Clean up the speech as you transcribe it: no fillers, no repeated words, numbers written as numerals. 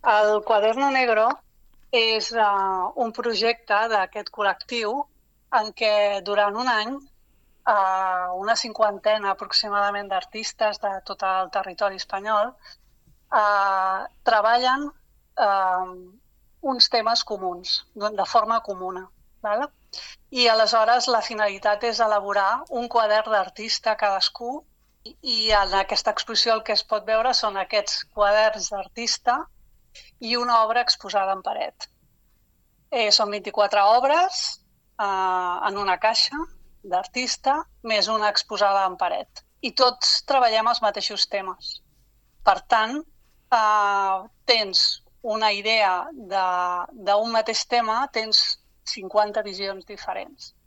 El Quaderno Negro és un projecte d'aquest col·lectiu en què durant un any una cinquantena aproximadament d'artistes de tot el territori espanyol treballen uns temes comuns, de forma comuna. Val? I aleshores la finalitat és elaborar un quadern d'artista cadascú i en aquesta exposició el que es pot veure són aquests quaderns d'artista i una obra exposada en paret. Són 24 obres en una caixa d'artista, més una exposada en paret. I tots treballem els mateixos temes. Per tant, tens una idea d'un mateix tema, tens 50 visions diferents.